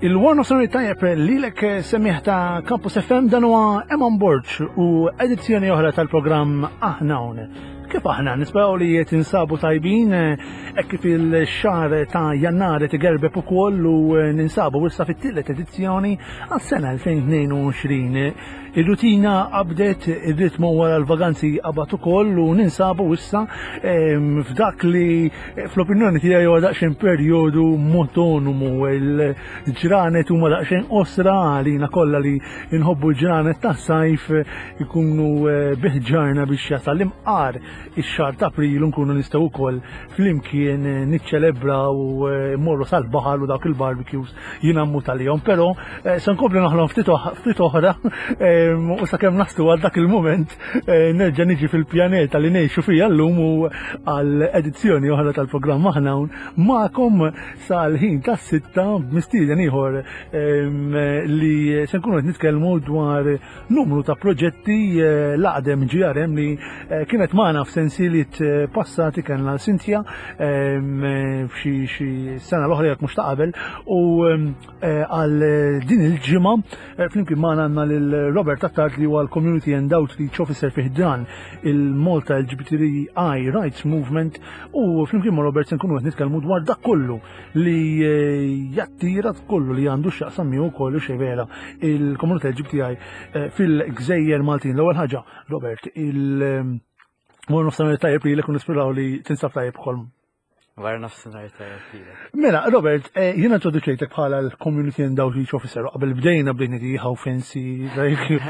Il-One of Sunny tajjeb lilek eh, semmiħ ta' Campus FM dan huwa Eman Borg u edizzjoni oħra tal-programm Aħna Hawn. Kif aħna nisperaw li tinsabu tajbin eh, hekk kif il-xahar ta' Jannar qed igerbeb ukoll u eh, ninsabu issa fit-tielet edizzjoni għas-sena 2022. Ir-rutina qabdet, ir-ritmu wara l-vaganzi qabad ukoll u ninsabu issa ehm, f'dak li fl-opinjoni tiegħi huwa daqsxejn perjodu motonomu il-ġranet huma daqsxejn qosra għalina kollha li nħobbu l-ġranet tas-sajf ikunu eh, biħġarna biex jasal imqar ix-xahar ta' April nkunu nistgħu wkoll flimkien eh, niċċelebraw u eh, mmorru sal-baħar u dawk il-barbecues Jiena mmut għalihom, però eh, se nkompli noħlom ftit oħra ehm, u sakemm naslu għal dak il-mument eh, nerġa' niġi fil-pjaneta li ngħixu fija llum u għal edizzjoni oħra tal-programm aħna hawn magħkom sal-ħin tas-sitta b'mistieden ieħor ehm, li se nkunu qed nitkellmu dwar numru ta' proġetti eh, l-aqdem GRM li eh, kienet magħna f'sensiliet eh, passati kellna Cynthia ehm, f'xi sena l-oħra jekk mhux ta' qabel u ehm, għal din il-ġimgħa flimkien magħna għandna lil Robert Attard li huwa l-Community and Outreach Officer fih dan il-Malta LGBTI Rights Movement u flimkien ma' Robert se nkunu qed nitkellmu dwar dak kollu li eh, jattira kollu li għandu x'jaqsam miegħu kollu xevela il-komunità LGBTI eh, fil-Gżejjer Maltin. L-ewwel ħaġa, Robert, il eh, Mor nofsinhar tajjeb li l nisperaw li tinsab tajjeb ukoll. Wara nofsinhar tajjeb lilek. Mela, Robert, jiena introduċejtek bħala l-Community and Outreach Officer, qabel bdejna bdejna di how fancy, like,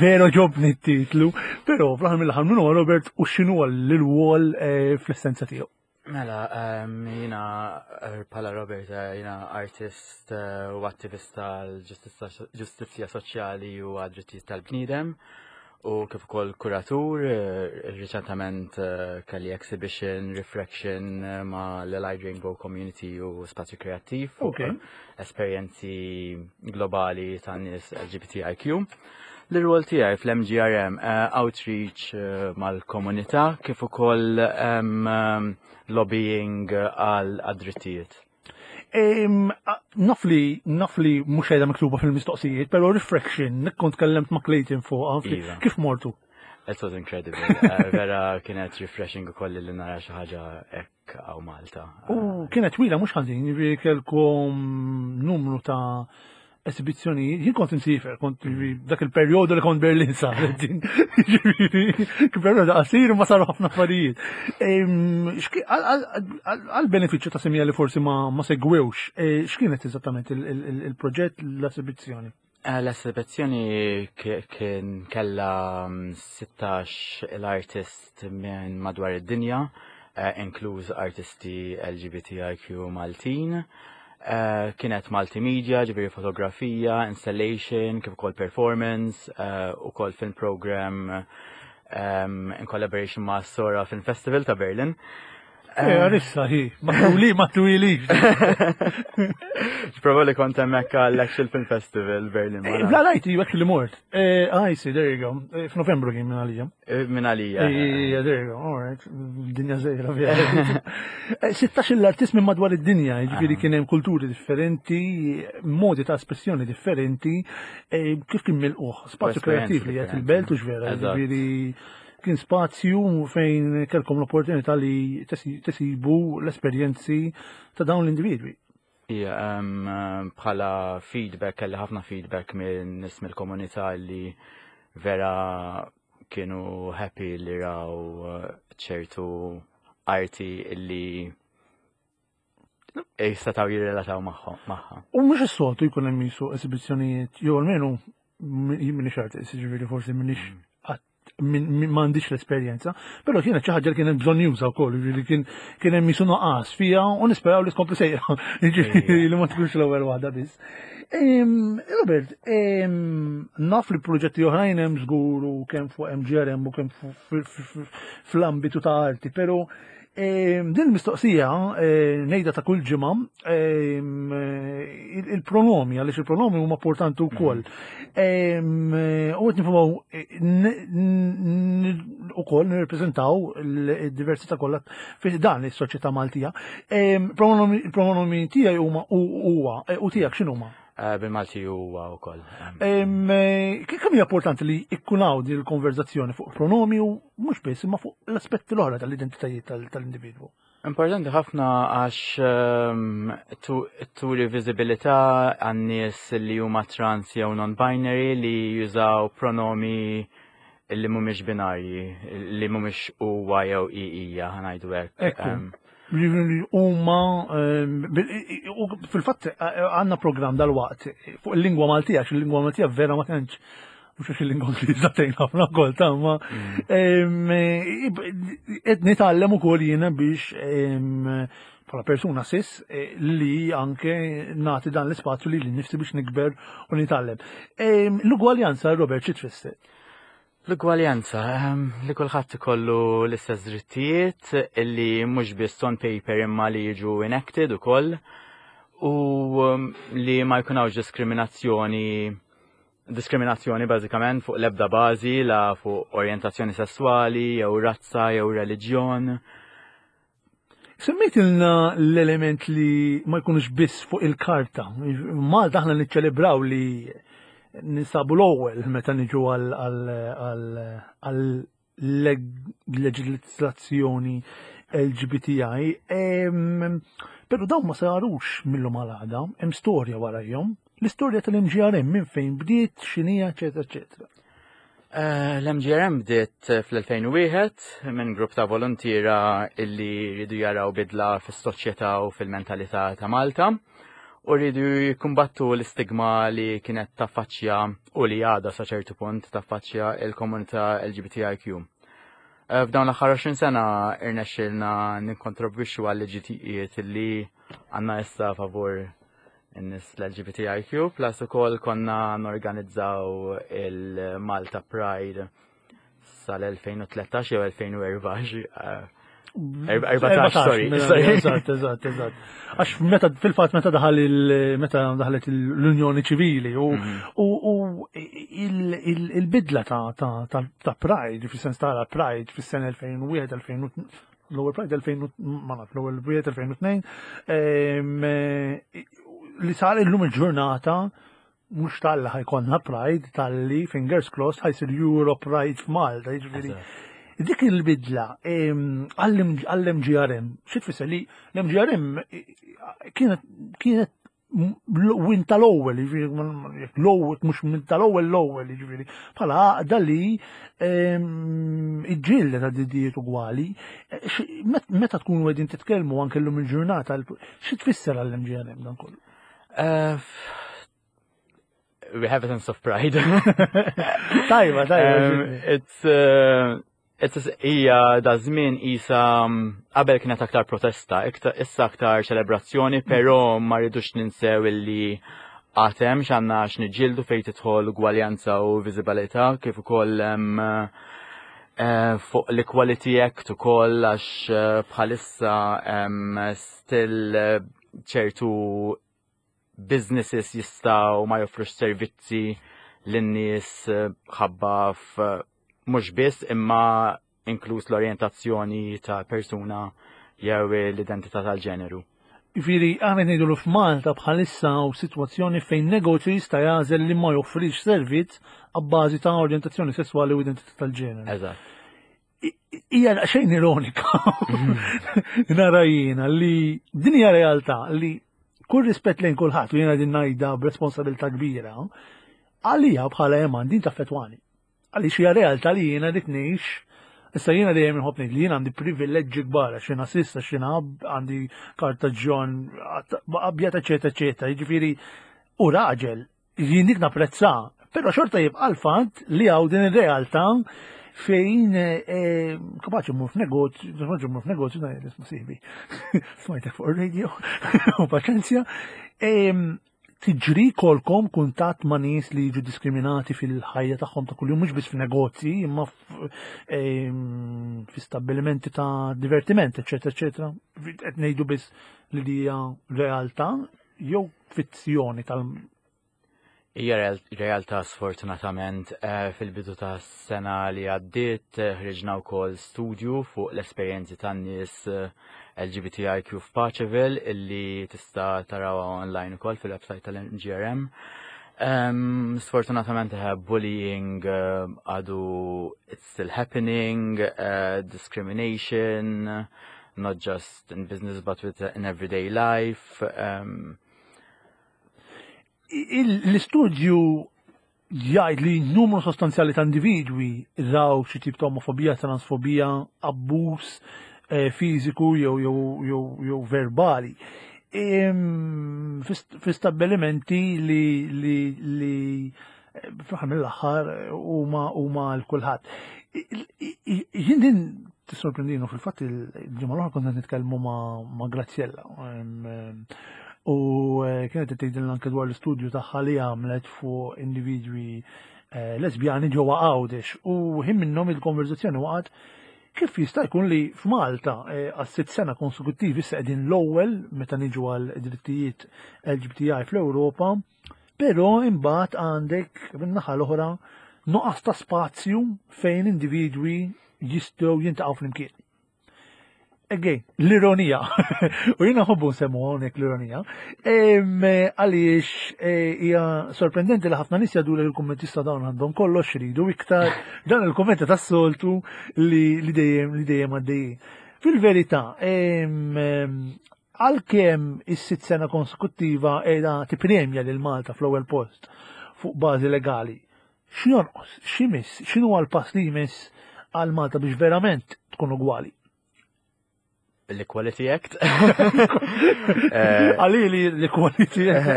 vero ġobni t-titlu, però fl-aħħar mill-aħħar min huwa Robert u x'inhu l-wol fl-essenza tiegħu. Mela, ehm, jina eh, pala Robert, eh, jina artist eh, u attivista għal-ġustizzja soċjali u għad-drittijiet tal-bniedem u kif ukoll kuratur, riċentament kelli exhibition Reflection ma' l-Allied Rainbow Community u Spazju Kreattiv fuq esperjenzi globali ta' nies LGBTIQ. L-rwol tiegħi fl-MGRM eh, outreach eh, mal-komunità kif ukoll lobbying għal drittijiet. Naf li naf li mhux qiegħda miktuba fil-mistoqsijiet, però reflection, kont tkellemt ma' Clayton fuqha, iva. kif mortu? It was incredible. Eh, vera kienet refreshing ukoll li nara xi ħaġa hekk hawn Malta. U kienet twila mhux ħażin, jiġifieri kelkom numru ta' esibizzjoni, jien kont insifer, kont mm. dak il-perjodu li kont Berlin saret din. Ġifieri, perjodu qasir ma saru ħafna affarijiet. Għal benefiċċju ta' semija li forsi ma segwewx, e, x'kienet eżattament il-proġett l-esibizzjoni? Eh, l-esibizzjoni kien kella 16 mm, l-artist minn madwar id-dinja, eh, inkluż artisti LGBTIQ Maltin. Eh, kienet multimedia, ġifieri fotografija, installation, kif ukoll performance, eh, ukoll film program um, in collaboration ma' Sora Film Festival ta' Berlin. Eh, għarissa hi, ma tuli, ma twili. Prova li kont hemmhekk għall-Actual Film Festival Berlin. Bla rajt, you actually mort. I see, there you go. F'Novembru kien minn għalija. Eh, minn għalija. Ija, there you go, all right. Dinja zejra, vera. 16 eh, l-artist minn madwar id-dinja, ġifieri ah. kien hemm kulturi differenti, modi ta' espressjoni differenti, eh, kif kien milquh, spazju kreattiv li qed il-belt u x'vera, ġifieri kien spazju fejn kelkom l-opportunità li tesibu l-esperjenzi ta' dawn l-individwi. Ija, bħala feedback, kelli ħafna feedback minn nies mill-komunità li vera kienu happy li raw eh, ċertu arti li jistataw jirrelataw magħha. U mhux is-soltu jkun hemm jisu esibizzjonijiet, jew almenu jien minix artist, jiġifieri forsi minix mm. m'għandix l-esperjenza, però kienet xi ħaġa li kien hemm bżonn juża wkoll, jiġifieri kien kien hemm jisu nuqqas fiha u nisperaw li tkompli sejra, jiġifieri li ma tkunx l-ewwel waħda biss. Robert, naf li proġetti oħrajn hemm żgur u kemm fuq MGRM u kemm fl-ambitu ta' arti, però Din il-mistoqsija eh, ngħidha ta' kull ġimgħa il-pronomi għaliex il-pronomi huma importanti wkoll. Mm. U qed nifumaw eh, ukoll nirrepreżentaw il-diversità kollha fi dan is-soċjetà Maltija. Il-pronomi tiegħi huma huwa eh, u tiegħek x'inhuma? Eh, bil-Malti huwa wkoll. Eh, kemm hija importanti li ikkun hawn din il-konverzazzjoni fuq pronomi u mhux biss imma fuq l-aspetti l-oħra tal-identitajiet tal-individwu? Importanti ħafna għax ehm, turi viżibilità għan-nies li huma trans jew non-binary li jużaw pronomi li mhumiex binarji, li mhumiex huwa jew i hija ħanajdu hekk. Ehm, huma ehm, fil-fatt eh, għandna programm dal-waqt fuq il-lingwa Maltija, għax il-lingwa Maltija vera ma tantx mhux għax il-lingwa Ingliża tgħin ħafna wkoll ta' ma mm. ehm, qed nitgħallem ukoll jiena biex bħala persuna sis eh, li anke nagħti dan l-ispazju li nifsi biex nikber u nitgħallem. L-ugwaljanza, Robert, xi tfisser? L-ugwaljanza, ehm, li kulħadd ikollu l-istess drittijiet li mhux biss on paper imma li jiġu enacted ukoll u ehm, li ma jkun hawnx diskriminazzjoni diskriminazzjoni bażikament fuq l-ebda bażi la fuq orjentazzjoni sesswali jew razza jew reliġjon. Semmejtilna l-element li ma jkunux biss fuq il-karta. Malta aħna niċċelebraw li ninsabu l-ewwel meta niġu għal leġislazzjoni LGBTI, pero dawn ma sarux mill-lum għal għada, hemm storja warajhom. L-istorja tal-MGRM minn fejn bdiet, x'inhija, eċetera, eċetera. Eh, L-MGRM bdiet fl-2001 minn grupp ta' volontiera illi rridu jaraw bidla fis-soċjetà u fil-mentalità ta' Malta u rridu jikkumbattu l-istigma li kienet taffaċċja u li għadha sa ċertu punt taffaċċja il-komunità LGBTIQ. Eh, f'dawn l-aħħar 20 sena irnexxilna nikkontribwixxu għal liġijiet li għandna issa favur in-nies l-LGBTIQ, plus ukoll konna norganizzaw il-Malta Pride sal-2013 jew 2014. 14, sorry. Mela, eżatt, eżatt, eżatt. Għax meta fil-fatt meta daħal meta daħlet l-Unjoni Ċivili u mhm. il-bidla ta' Pride, fis-sens ta' Pride fis-sena 2001, 2002, l-ewwel Pride 2000 ma naf l-ewwel wieħed 2002 eh, li sar illum il-ġurnata mhux tal-li ħajkonna Pride tal-li fingers crossed ħajsir Euro Pride f'Malta, jiġifieri. Dik il-bidla għall-MGRM, xi tfisser li l-MGRM kienet kienet win tal-ewwel, jiġifieri l-ewwel mhux minn tal-ewwel l-ewwel, jiġifieri bħala għaqda li ehm, iġġieldet ta' drittijiet ugwali. Eh, meta tkunu qegħdin titkellmu anke llum il-ġurnata, xi tfisser għall-MGRM dan kollu? Eh, we have a sense of pride. Tajba, tajba. Um, it's uh, Hija da żmien isa qabel kienet aktar protesta, issa aktar ċelebrazzjoni, mm. però ma rridux ninsew illi għatem x'għandna x'niġġieldu fejn tidħol ugwaljanza u viżibilità kif ukoll eh, fuq l-Equality Act ukoll għax eh, bħalissa still eh, ċertu businesses jistgħu ma joffrux servizzi lin-nies eh, ħabba mhux biss imma inkluż l-orjentazzjoni ta' persuna jew l-identità tal-ġeneru. Jiġifieri aħna ngħidu li f'Malta bħalissa hawn sitwazzjoni fejn negozju jista' jagħżel li ma joffrix servizz abbażi ta' orjentazzjoni sesswali u identità tal-ġeneru. Eżatt. Hija xejn ironika. Nara jiena li din hija realtà li kull rispett lejn kulħadd u jiena din ngħidha b'responsabilità kbira, għalija bħala eman din taffetwani. Għaliex hija realtà li jiena dik ngħix. Issa jiena dejjem inħobb ngħid li jiena għandi privileġġi kbar għax jiena sissa għax jiena għandi karta ġon abjad eċetera eċetera. Jiġifieri u raġel jien dik napprezza, però xorta jibqa' l-fatt li hawn din ir-realtà fejn eh, kapaċi mmur f'negozju, kapaċi mmur f'negozju ngħid isma' sieħbi. Smajtek fuq ir-radio u paċenzja. Tiġri kolkom kuntatt ma' nies li jiġu diskriminati fil-ħajja tagħhom ta' kuljum mhux biss f'negozji imma ehm, fi stabbilimenti ta' divertiment, eċetera, eċetera. Qed ngħidu biss li hija realtà jew fizzjoni tal- Hija realtà sfortunatament eh, fil-bidu ta' sena li għaddiet eh, ħriġna wkoll studju fuq l-esperjenzi tan-nies eh, LGBTIQ f'Paċeville illi tista' tarawha online ukoll fil-website tal-MGRM. Um, sfortunatament bullying għadu it's still happening, uh, discrimination, not just in business but with in everyday life. Um, L-istudju jgħid li numru sostanzjali ta' individwi raw xi tip ta' omofobija, transfobija, abbuż eh, fiżiku jew jew jew verbali. Fi stabbilimenti li li li eh, fl-aħħar mill-aħħar huma huma l kulħadd. Jien din tissorprendinu fil-fatt il-ġimgħa l-oħra konna nitkellmu ma' Graziella. U eh, kienet tgħidilna anke dwar l-istudju tagħha li għamlet fuq individwi eh, lesbjani ġewwa Għawdex u ħin minnhom il-konverzazzjoni waqgħet kif jista' jkun li f'Malta eh, għas sitt sena konsekuttivi issa qegħdin l-ewwel meta niġu għal drittijiet LGBTI fl-Ewropa, però imbagħad għandek min-naħa l-oħra nuqqas ta' spazju fejn individwi jistgħu jintaqgħu flimkien. Again, l-ironija. U jina ħobbu nsemmu hawnhekk l-ironija. Għaliex eh, hija sorprendenti li ħafna nies jgħidu li l-kummenti sta dawn għandhom kollox iridu iktar dan il-kummenti tas-soltu li dejjem li dejjem għaddejjin. Fil-verità, għalkemm is-sitt sena konsekuttiva qiegħda tippremja lil Malta fl-ewwel post fuq bażi legali, X'jonqos? X'imiss? X'inhuwa l-pass li jmiss għal Malta biex verament tkun ugwali? L-Equality Act. Eh, Għali li l-Equality Act.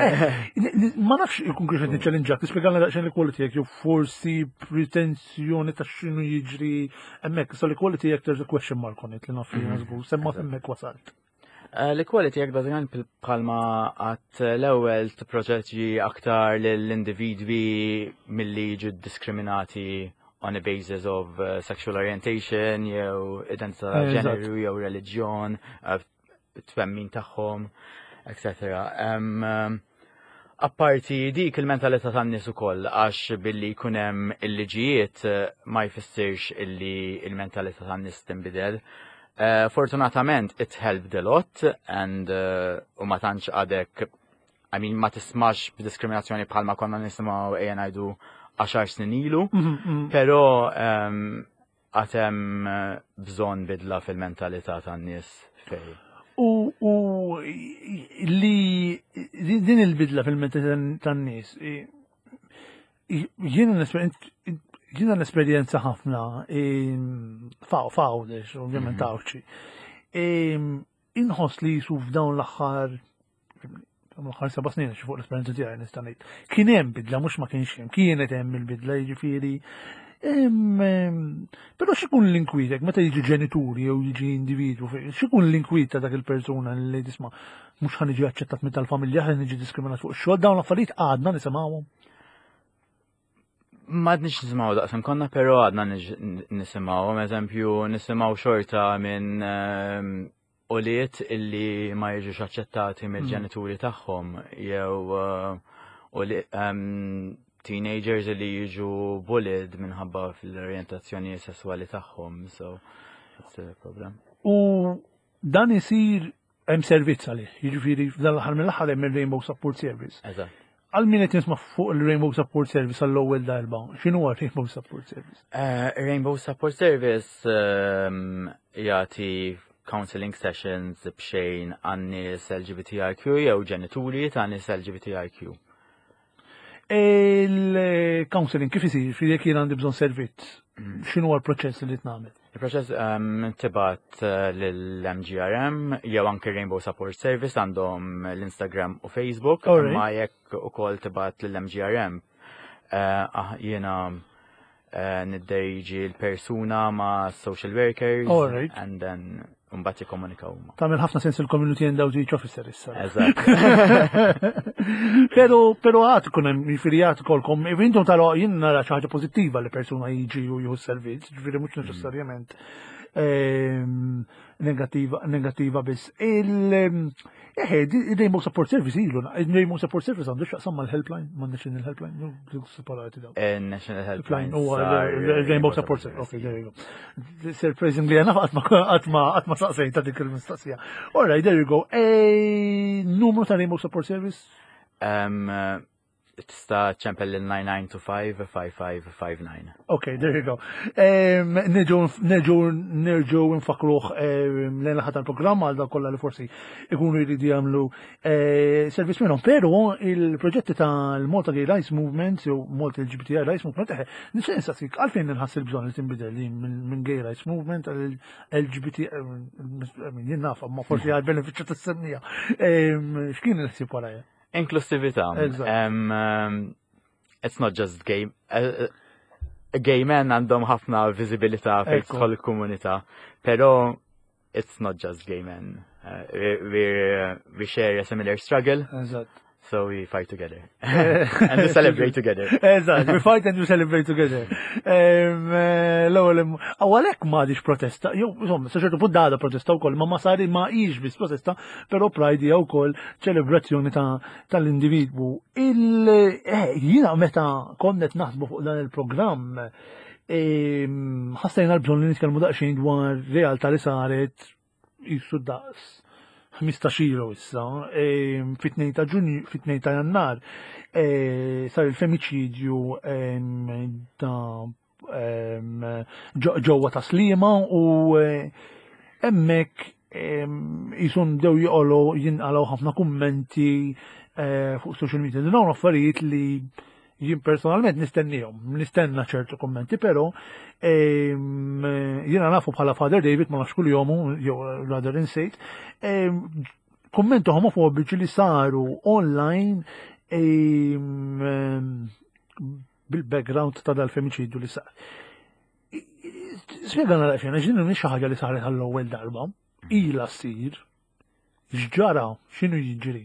Eh, ma nafx ikun kif qed niċċellinġak, tispjegalna daqsxejn l-Equality Act jew forsi pretensjoni ta' x'inhu jiġri hemmhekk. So l-Equality Act there's a question mark on it li naf li mhm. żgur, semma hemmhekk wasalt. Eh, l-equality jekk bażikament bħalma għat l-ewwel tipproteġi aktar lill-individwi milli jiġu diskriminati on a basis of eh, sexual orientation jew identità eh, ġeneru jew reliġjon, twemmin tagħhom, etc. Apparti dik il-mentalità tan-nies ukoll għax billi jkun hemm il-liġijiet ma jfissirx illi il-mentalità tan-nies tinbidel. Uh, fortunatament it helped a lot and uh, u ma tantx għadek I mean ma tismax b'diskriminazzjoni bħalma konna nisimgħu ejja ngħidu 10 snin ilu, mm -hmm. però um, għatem eh, bżonn bidla fil-mentalità tan-nies fej. U, u li din il-bidla fil-mentalità tan-nies jiena jiena l-esperjenza ħafna fawdex, ovvjament mhm. għawċi. Inħoss li jisu f'dawn l-aħħar l-aħħar seba' snin xi fuq l-esperjenza tiegħi nista' ngħid. Kien hemm bidla mhux ma kienx hemm, kienet hemm il-bidla jiġifieri. Però x'ikun l-inkwitek meta jiġi ġenituri jew jiġi individwu, x'ikun l-inkwiet ta' dak il-persuna li tisma' mhux ħa niġi aċċettat minn tal-familja, ħa niġi diskriminat fuq ix-xogħol, dawn l-affarijiet għadna nisimgħuhom. Ma għadniex nisimgħu daqsam konna, però għadna nisimgħu, eżempju, nisimgħu xorta minn ehm, ulied illi ma jiġux aċċettati hmm. mill-ġenituri tagħhom jew eh, ehm, teenagers illi jiġu bullied minħabba fl-orjentazzjoni sesswali tagħhom, so it's a problem. U dan isir hemm servizz għalih, jiġifieri f'dan l-aħħar mill-aħħar hemm il-Rainbow Support Service. Eżatt. Għal min qed nisma' fuq il-Rainbow Support Service għall-ewwel darba, x'inhu huwa Rainbow Support Service? Eh, Rainbow Support Service ehm, jagħti counseling sessions b'xejn għan-nies LGBTIQ jew ġenituri ta' nies LGBTIQ. Il-counseling kif isir, jekk jien għandi bżonn servizz, mm. x'inhu l-proċess li tnagħmel? Il-proċess ehm, tibgħat eh, lill-MGRM jew anke Rainbow Support Service għandhom l-Instagram u Facebook, ma jekk ukoll tibgħat lill-MGRM eh, ah, jiena eh, nidderiġi l-persuna ma' social workers and then Mbagħad jikkomunikaw huma. Tagħmel ħafna sens il-community and outreach officer issa. Eżatt. Pero pero għad ikun hemm jiġifieri għad ikolkom intom taraw jien nara xi ħaġa pożittiva li persuna jiġi u jieħu servizz, jiġifieri mhux mm. neċessarjament ehm, negattiva negattiva biss. Eħe, il-Rainbow Support Service ilu, il-Rainbow Support Service għandu xaqsam mal-helpline, ma' National Helpline, separati daw. Eh, National Helpline. U Rainbow Support Service, ok, there you go. Surprisingly, għana għatma għatma saqsejta dik il-mistaqsija. All right, there you go. E, numru ta' Rainbow Support Service? Um, Tista' ċempel lil 9925 5559. Ok, there you go. Nerġu nerġu nfakruh lejn l tal-programm għal dak kollha li forsi ikunu jridu jagħmlu eh, servizz minnhom. Però il-proġetti tal-Malta Gay Rights Movement jew Malta LGBTI Rights Movement, eh, nixtieq nistaqsik għalfejn inħass il-bżonn li tinbidel li minn Gay Rights Movement għal LGBT, jien naf, ma forsi għal benefiċċju tas-semmija. X'kien il-ħsieb warajja? Inklusività. Um, um, it's not just gay. Uh, uh, gay men għandhom ħafna viżibilità fejn tidħol il-komunità, però it's not just gay men. Uh, we, we, we share a similar struggle. Eżatt. So we fight together. and we celebrate together. Eżatt, we fight and we celebrate together. Eh, l-ewwel għalhekk m'għadix protesta, jew insomma, sa ċertu punt għadha protesta wkoll, ma ma sari ma hix biss protesta, però Pride hija wkoll ċelebrazzjoni tal-individwu. Eh, jiena meta konnet naħsbu fuq dan il-programm, ehm, ħassejna l-bżonn li nitkellmu daqsxejn dwar realtà li saret jisu daqs 15 ilu issa, ehm, fit-2 ta' Ġunju, fit-2 ta' Jannar, eh, sar il-femiċidju ehm, ta' ġewwa ta' Sliema u eh, hemmhekk jisun dew joqogħlu jinqalgħu ħafna kummenti eh, fuq social media. Dawn affarijiet li jien personalment nistennihom, nistenna ċertu kummenti, però jiena nafu bħala Father David ma nafx kull-jomu, jew rather insejt, kummenti homofobiċi li saru online bil-background ta' dal-femiċidju li sar. Spjegana daqsxejn, għax din mhix xi ħaġa li saret għall-ewwel darba, ilha ssir, x'ġara, x'inhu jiġri.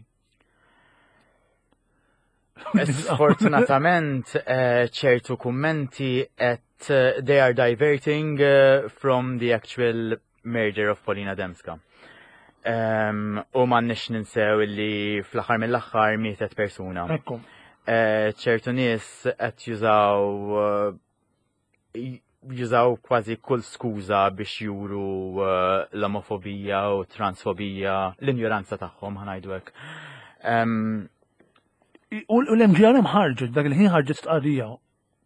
Sfortunatament, eh, ċertu kummenti qed eh, they are diverting eh, from the actual murder of Paulina Demska. Um, u ma nix ninsew li fl-aħħar mill-aħħar mietet persuna. Ekku. Eh, ċertu nies qed jużaw eh, jużaw kważi kull skuża biex juru eh, l-omofobija u transfobija, l-injoranza tagħhom ħanajdu hekk. Um, u l-MGRM ħarġet, dak il-ħin ħarġet stqarrija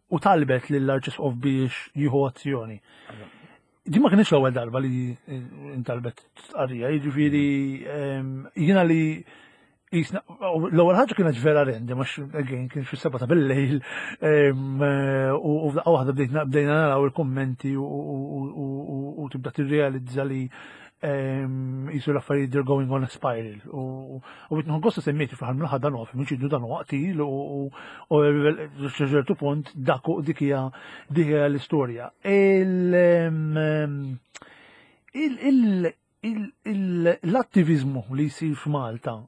u talbet lill-Arċisqof biex jieħu azzjoni. Di ma kienx l-ewwel darba li intalbet stqarrija, jiġifieri ehm, jiena li l-ewwel ħaġa kienet vera rendi, ma again kien fis-seba ta' bil-lejl ehm, u f'daqqa waħda bdejna naraw il-kummenti u tibda tirrealizza li ehm, jisu l-affarijiet they're going on a spiral. U bitnħu gosta semmieti fl-ħar mill-ħar dan huwa femiċidju dan huwa qtil u ċertu punt dak dik hija dik hija l-istorja. L-attivizmu li jsir f'Malta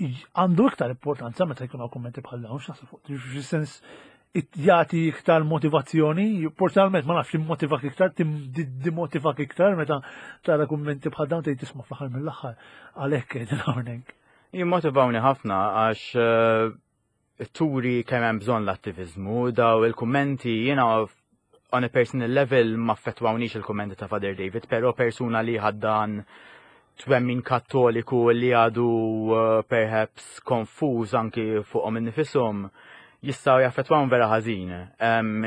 għandu iktar importanza meta jkun hawn kummenti bħal dawn, x'naħseb fuq fis-sens jagħti iktar motivazzjoni, personalment ma nafx timmotivak iktar, timotivak iktar meta tara kummenti bħal dawn tgħid tisma' fl-aħħar mill-aħħar għalhekk qegħdin hawnhekk. Jimmotivawni ħafna għax eh, turi kemm hemm bżonn l-attiviżmu, daw il-kummenti jiena on a personal level ma affettwawnix il-kummenti ta' Father David, però persuna li ħaddan twemmin kattoliku li għadu eh, perhaps konfuż anki fuqhom innifishom jistgħu jaffettwawhom vera ħażin.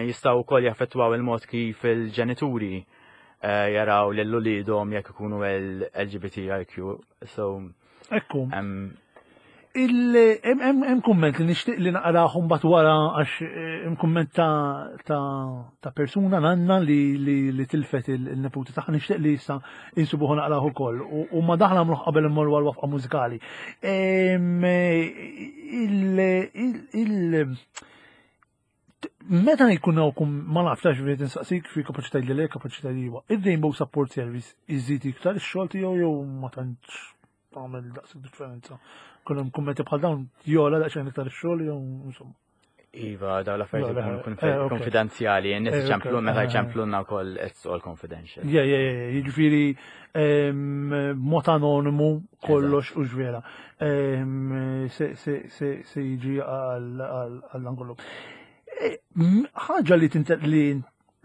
Jistgħu wkoll jaffettwaw il-mod kif il-ġenituri eh, jaraw lil uliedhom jekk ikunu LGBTIQ. So, Ekku. Hemm kumment li nixtieq li naqrah mbagħad wara għax eh, hemm kumment ta' persuna nanna li tilfet il-neputi tagħha nixtieq li issa insibuħu naqrah ukoll. U ma daħla nagħmluh qabel immorru għal wafqa mużikali. Meta jkun hawn ma nafx għax qed insaqsik fi kapaċi tgħidli le, kapaċi tgħidli iva. Ir-Rainbow Support Service iżid iktar ix-xogħol tiegħu jew ma tantx tagħmel daqshekk differenza. Kun hemm kummenti bħal dawn jola daqsxejn iktar ix-xogħol jew insomma. Iva, daw l-affarijiet ikunu eh, konfidenzjali, n-nies eh, iċemplu meta jċemplunna wkoll it's all confidential. Yeah, yeah, yeah, jiġifieri mod anonimu kollox u ġvera. Se jiġi għall-angolu. Eh, ħaġa li li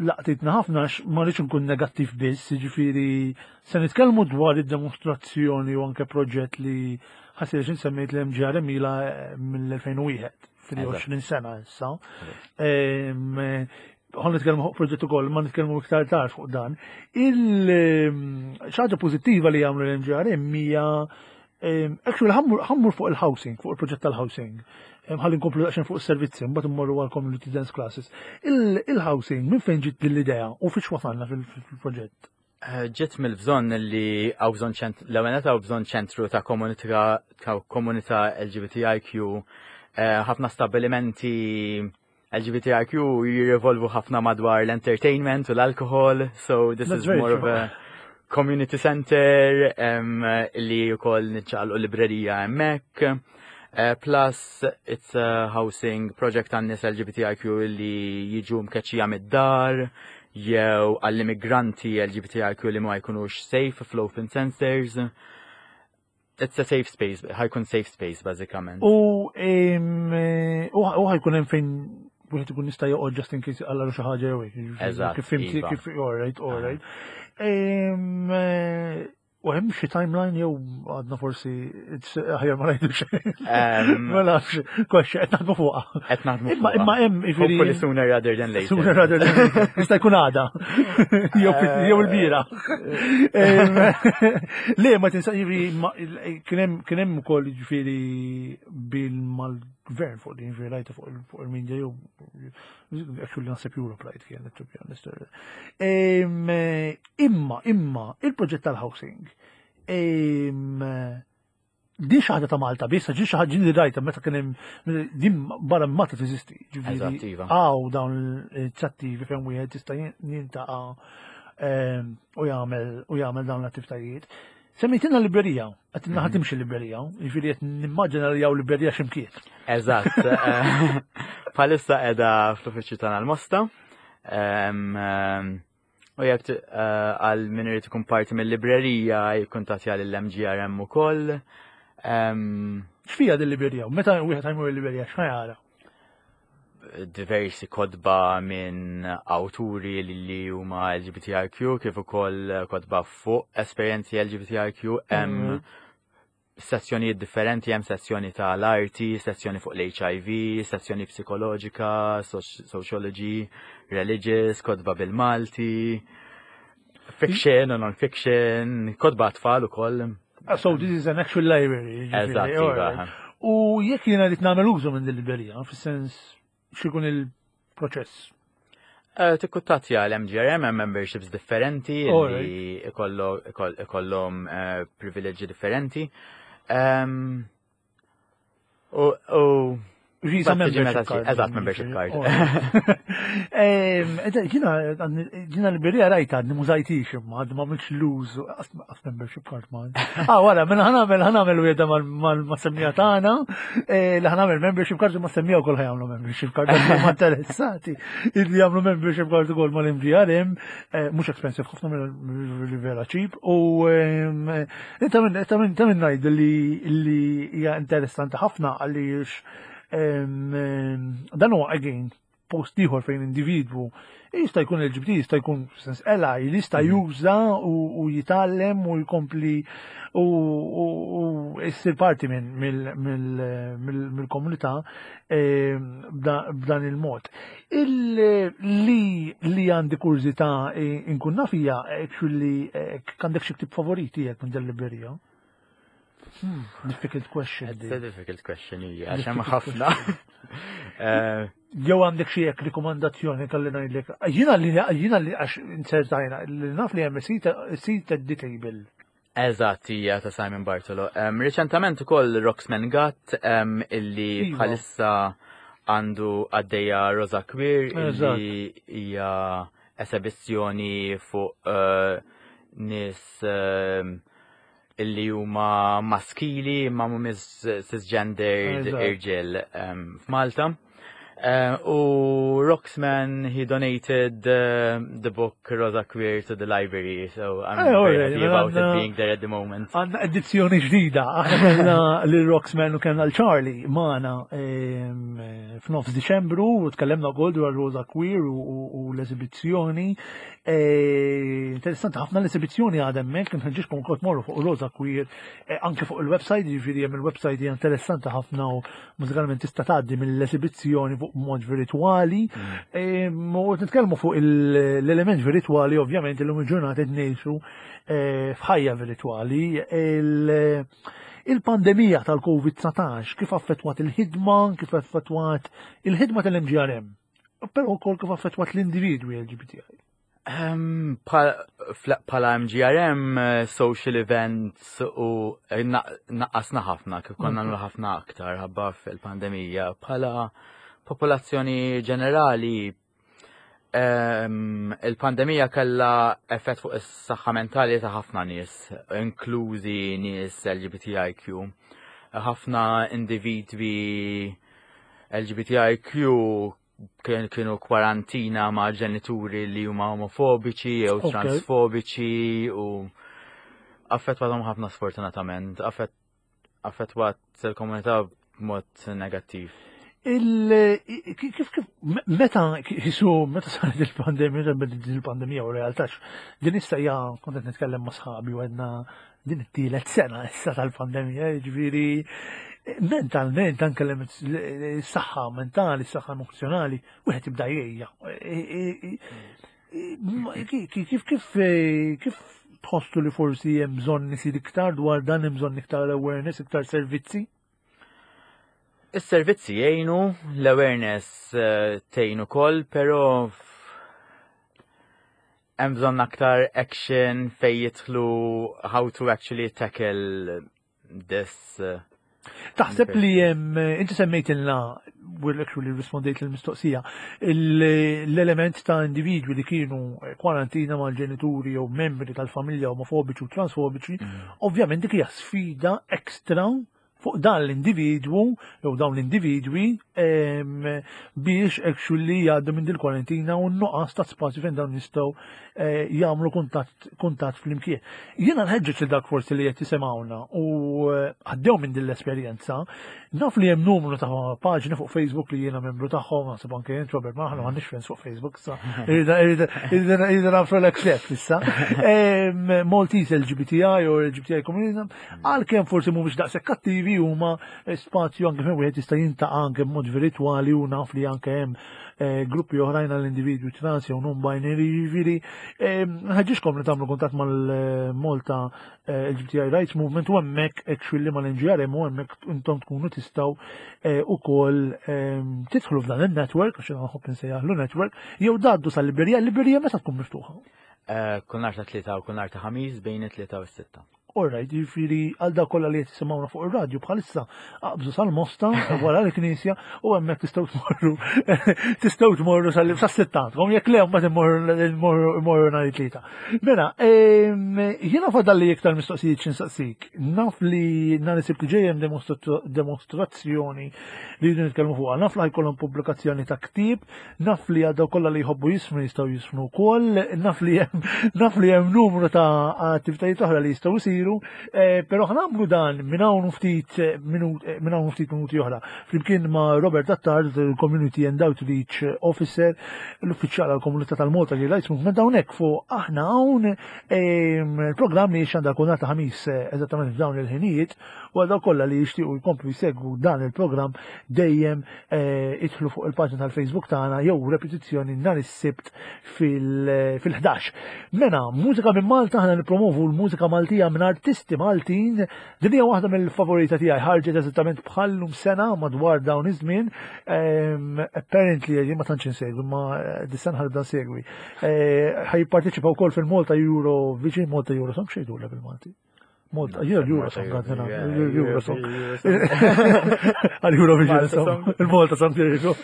laqtitna ħafna għax ma rridx nkun negattiv biss, jiġifieri se nitkellmu dwar id-demostrazzjoni u anke proġett li ħasir xin semmejt l-MGRM ila eh, mill-2001, fil-20 sena issa. Ħon nitkellmu fuq proġett ukoll, ma nitkellmu iktar tard fuq dan. Il-ħaġa pożittiva li jagħmlu l-MGRM hija Actually, ħammur fuq il-housing, fuq il-proġett tal-housing. Ħalli nkomplu daqsxejn fuq is-servizzi, mbagħad immorru għal community dance classes. Il-housing minn fejn ġiet din l-idea u fiex wasalna fil-proġett? Eh, ġiet mill-bżonn li għaw bżonn ċentru, l-ewwel għaw bżonn ċentru ta' komunità ta' komunità LGBTIQ, eh, ħafna stabilimenti LGBTIQ jirrivolvu ħafna madwar l-entertainment u l-alkohol, so this That's is more of a community center um, li wkoll niċċaqalqu librerija hemmhekk. Uh, plus, it's a housing project għan nies LGBTIQ li jiġu mkeċċija mid-dar, jew għall-immigranti LGBTIQ li ma jkunux safe fl-open centers. It's a safe space, ħajkun safe space bażikament. U u ħajkun hemm fejn wieħed ikun jista' joqgħod just in case għalla xi ħaġa jew hekk. Eżatt. Kif fimti iva. kif all right, all right. U hemm xi timeline jew għadna forsi aħjar ma ngħidu xejn. Ma nafx, kwaxxa qed naħdmu fuqha. Qed naħdmu fuqha. Imma hemm jiġifieri. Hopefully sooner rather than later. Sooner rather than later. Jista' jkun għada. Jew il-bira. Le, ma tinsa jiġifieri kien hemm ukoll jiġifieri bil mal-gvern fuq din jiġifieri rajta fuq il-media jew actually naħseb Europe rajt kienet to be honest. Imma, imma, il-proġett tal-housing, din xi ħaġa ta' Malta biss, ġi xi ħaġa li rajta meta kien hemm din barra Malta teżisti. Ġifieri iva. Hawn dawn l-inizjattivi fejn wieħed jista' jintaqa' u jagħmel u jagħmel dawn l-attivitajiet. Semmejtilna librerija, qed naħa mhm. timxi librerija, jiġifieri qed nimmaġina li hawn librerija x'imkien. Eżatt. Eh, bħalissa qiegħda fl-uffiċċju tagħna l-Mosta. U jekk eh, għal min irid ikun parti mill-librerija jikkuntattja lill-MGRM ukoll. X'fija din librerija? Meta wieħed ħajmur il-librerija x'ħajara? Diversi kodba minn awturi li huma LGBTIQ kif ukoll kodba fuq esperjenzi LGBTIQ hemm mhm. sezzjonijiet differenti, hemm sezzjoni tal-arti, sezzjoni fuq l-HIV, sezzjoni psikoloġika, sociology, religious, kodba bil-Malti, fiction u non-fiction, kodba tfal ukoll. Ah, so this is an actual library. Eżatt, iva. U jekk jiena rrid nagħmel użu minn din librerija, fis-sens x'ikun il-proċess? Eh, tikkuntattja l-MGRM hemm memberships differenti li ikollhom eh, privileġġi differenti. Ehm, u Visa membership card. Eżatt, membership card. Oh. Ġina, ġina l-birja rajta għadni mużajtix imma għadni ma mux l-użu, għas membership card ma. Ah, wara, mela ħanamel, ħanamel u jeda mal-semmija tagħna, eh, li ħanamel membership card ma semmija wkoll ħajamlu membership card, ma interessati li jagħmlu membership card ukoll mal-MGRM, eh, mhux expensive ħafna mill vera cheap u ta' minn ngħid li hija interessanti ħafna għaliex dan huwa again post ieħor fejn individwu jista' jkun LGBT, jista' jkun sens ela, jista' mhm. juża u jitgħallem u jkompli u jsir parti mill-komunità b'dan il-mod. Li li għandi kurżità inkun naf hija actually għandek xi ktib favoriti jekk minn dal-librerija? Hmm, difficult question. It's a difficult question, hija, għax hemm ħafna. Eh, Jew għandek xi hekk rikomandazzjoni kalli ngħidlek. Jiena li jiena li għax insertajna li naf li hemm seat at the table. Eżatt, hija ta' Simon Bartolo. Um, Riċentament ukoll Roxman Gatt um, illi iva. bħalissa għandu għaddejja Rosa Queer illi hija esebizzjoni fuq uh, nies uh, illi huma maskili imma mhumiex cisgendered irġiel um, f'Malta. U Roxman, he donated the book Rosa Queer to the library, so I'm eh, very happy about it being there at the moment. Għanna edizzjoni ġdida, aħna kellna lil Roxman u kellna l-Charlie magħna f'nofs Diċembru u tkellimna wkoll dwar Rosa Queer u l-eżibizzjoni. Eh, interessanti ħafna l-eżibizzjoni għadha hemmhekk, nħeġġiġkom ukoll tmorru fuq Rosa Queer eh, anke fuq il-website, jiġifieri hemm il-website hija interessanti ħafna u mużikalment tista' tgħaddi mill-esibizzjoni fuq mod virtwali. Mm. U nitkellmu fuq l-element virtwali ovvjament illum il-ġurnata qed ngħixu eh, f'ħajja virtwali. Il-pandemija tal-COVID-19 kif affettwat il-ħidma, kif affettwat il-ħidma tal-MGRM, però wkoll kif affettwat l-individwi LGBTI. Pala MGRM, eh, social events u eh, naqqasna ħafna, kif konna nagħmlu ħafna aktar ħabba fil-pandemija. Pala popolazzjoni ġenerali, ehm, il-pandemija kellha effett fuq is-saħħa mentali ta' ħafna nies, inklużi nies LGBTIQ. Ħafna individwi LGBTIQ kienu kwarantina ma' ġenituri li huma omofobiċi jew transfobiċi u affettwathom ħafna sfortunatament, affettwat il-komunità b'mod negattiv. Kif kif meta jisu meta saret il-pandemija, il-pandemija u realtax, din issa hija kont qed nitkellem ma' sħabi u għedna din it-tielet sena issa tal-pandemija, jiġifieri mentalment anke s-saħħa mentali, s-saħħa emozzjonali, wieħed jibda jgħejja. Kif kif kif tħossu li forsi hemm bżonn isir iktar dwar dan hemm bżonn iktar awareness, iktar servizzi? Is-servizzi jgħinu, l-awareness eh, tgħin ukoll, però hemm bżonn aktar action fejn jidħlu how to actually tackle this. Eh, Taħseb li hemm inti semmejtilna we're actually rispondejt l-mistoqsija l-element ta' individwi li kienu kwarantina mal-ġenituri jew membri tal-familja omofobiċi u transfobiċi, mm. ovvjament dik hija sfida ekstra fuq dan l-individwu jew dawn l-individwi biex actually jgħaddu minn dil-kwarantina u n-nuqqas ta' spazju fejn dawn jistgħu eh, jagħmlu kuntatt flimkien. Jiena nħeġġeġ li dak forsi li qed jisimgħuna u eh, għaddew minn din l-esperjenza, naf li hemm numru ta' paġni fuq Facebook li jiena membru tagħhom, naħseb anke jien Robert ma aħna m'għandniex friends fuq Facebook issa. Irida nagħmlu l-accept issa. Maltese LGBTI u LGBTI Community Għalkemm forsi mhumiex daqshekk kattivi huma spazju anke fejn wieħed jista' jintaqa' anke b'mod virtwali u naf li anke hemm eh, gruppi oħrajn għall individwi trans jew non-binary, jiġifieri eh, ħaġixkom li tagħmlu kuntatt mal-Malta eh, LGBTI Rights Movement u hemmhekk actually mal-NGRM u hemmhekk intom tkunu tistgħu ukoll tidħlu f'dan il-network, għax nħobb insejjaħlu network, jew daddu sal-Liberija, l-Liberija meta tkun miftuħa? Kull nhar ta' tlieta u kull nhar ta' ħamis bejn it-tlieta u s-sitta. Alright, jiġifieri għal dak kollha li qed jisimgħuna fuq ir-radju bħalissa aqbżu sal-Mosta wara l-Knisja u hemmhekk tistgħu tmorru tistgħu tmorru sas-sitta għandkom jekk le mbagħad immorru nhar it-tlieta. Mela, jiena fadalli iktar mistoqsijiet xi nsaqsik. Naf li nhar is-Sibt li ġej hemm demostrazzjoni li jridu nitkellmu fuqha. Naf li ħajkollhom pubblikazzjoni ta' ktieb Naf li għal dawk kollha li jħobbu jisfnu jistgħu jisfnu wkoll, naf li hemm naf li hemm numru ta' attivitajiet oħra li jistgħu jsiru, eh, però ħanagħmlu dan minn hawn ftit eh, eh, minn hawn ftit minuti oħra. Flimkien ma' Robert Attard, il-Community and Outreach Officer, l-uffiċjal għall-komunità tal-Malta li Rights Movement hawnhekk fuq aħna hawn il-programm li xandar kull nhar ta' ħamis eżattament f'dawn il-ħinijiet u għal dawk kollha li jixtiequ jkomplu jsegwu dan il-programm dejjem Eh, idħlu fuq il-paġna tal-Facebook tagħna jew repetizzjoni nhar is-Sibt fil-11. Mela, mużika minn Malta aħna nippromovu l-mużika Maltija minn artisti Maltin. Din hija waħda mill-favorita tiegħi ħarġet eżattament bħallum sena madwar dawn iż-żmien. Ehm, apparently jien ma tantx insegwi, ma eh, dis-sena ħarbda nsegwi. Eh, ħajjipparteċipa wkoll fil-Malta Euro Vision Malta Euro Song xejdu bil-Malti. Malta, jien l-Eurosong għadna, l-Eurosong. Għal-Eurovision Song, il-Malta Song jgħidu.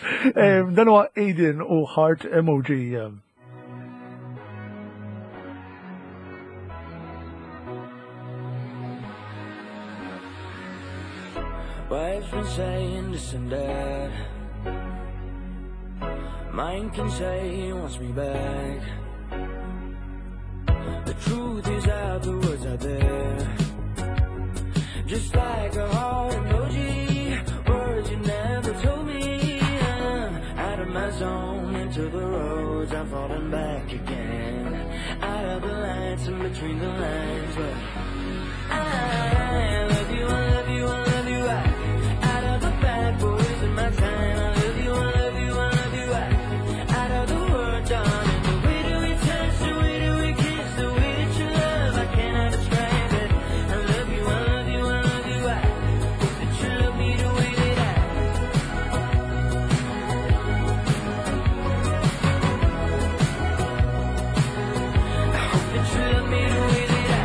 Dan huwa Aiden u Heart Emoji. Wife's been saying this and that. Mine can say he wants me back. The truth is out, the words are there. Just like a heart emoji, words you never told me. I'm out of my zone, into the roads, I'm falling back again. Out of the lights and between the lines, but I love you, I love you, I love you. I, out of the bad boys in my time. I love you, I love you, I love you. I, out of the word, darling. The way that we touch, the way that we kiss, the way that you love, I cannot describe it. I love you, I love you, I love you. I hope that you love me the way that I. I hope that you love me the way that I